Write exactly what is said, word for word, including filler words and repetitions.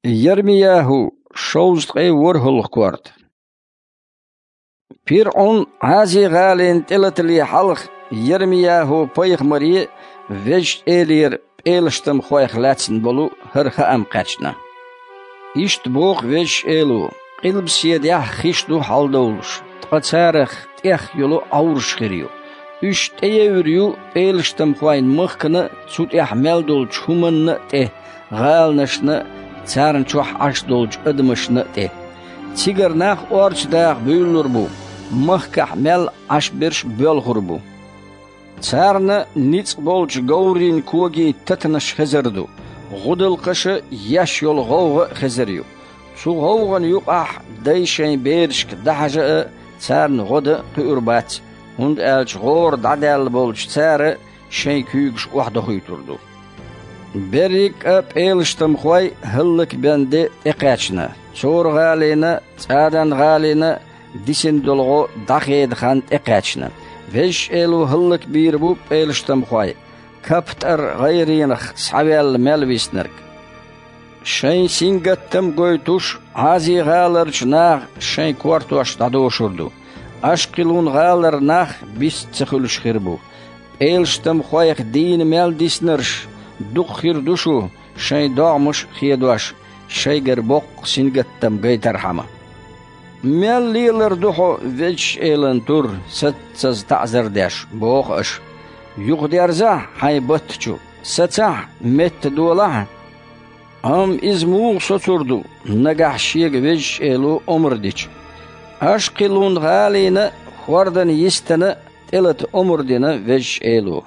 Ермияху, шовзткъе ворхӀалгӀа корта. ПирӀун Ӏази-гӀалина тӀелатале хьалха Ермияху-пайхамаре Везачу Элера пӀелаштамхойх лаьцна болу хӀара хаам кхаьчна. Иштта боху Везачу Эло: «Къилбаседехь хиш ду хьаладовлуш, ткъа царах тӀех йолу Ӏовраш хир ю. Уьш тӀеевр ю пӀелаштамхойн махкана а, цу тӀехь мел долчу хӀуманна а тӀе, гӀаланашна а, царна чохь Ӏаш долчу адамашна а тӀе. Цигара нах орца даха буьйлалур бу, махкахь мел Ӏаш берш боьлхур бу. Царна ницкъ болчу говрийн когийн татанаш хезар ду, гӀудалкхаша еш йолу гӀовгӀа а хезар ю. Цу гӀовгӀан юкъахь дай шайн берашка дӀахьажа а, царна гӀо дан а кхуьур бац, хӀунда аьлча гӀора дӀадаьлла болчу цара шайн куьйгаш охьадохуьйтур ду». Берриг а пӀелаштамхой хӀаллакбен де тӀекхаьчна, Цора-гӀалина, ЦӀадан-гӀалина дисина долу гӀо дӀахедан хан тӀекхаьчна. Везачу Эло хӀаллакбийр бу пӀелаштамхой, Каптар-гӀайренах схьаваьлла мел виснарг. Шайн сингаттам гойтуш, Ӏази-гӀаларчу наха шайн кортош дӀадошур ду. Ашкхилун-гӀалара нах бист ца хуьлуш хир бу. ПӀелаштамхойх дийна мел диснарш дукха хир ду шу, шайн догӀмаш а хедош, шайгара боккха сингаттам гайтархьама. «Мел лелар ду хьо, Везачу Элан тур, саццаза таӀзар деш», – боху аша. Юхадерзахьа хьайн батта чу, сацахьа, метта долахьа. Амма иза муха соцур ду, нагахь шега Везачу Эло омра дича? Ашкхилун-гӀалина а, хӀордан йистана а тӀелата омра дина Везачу Эло.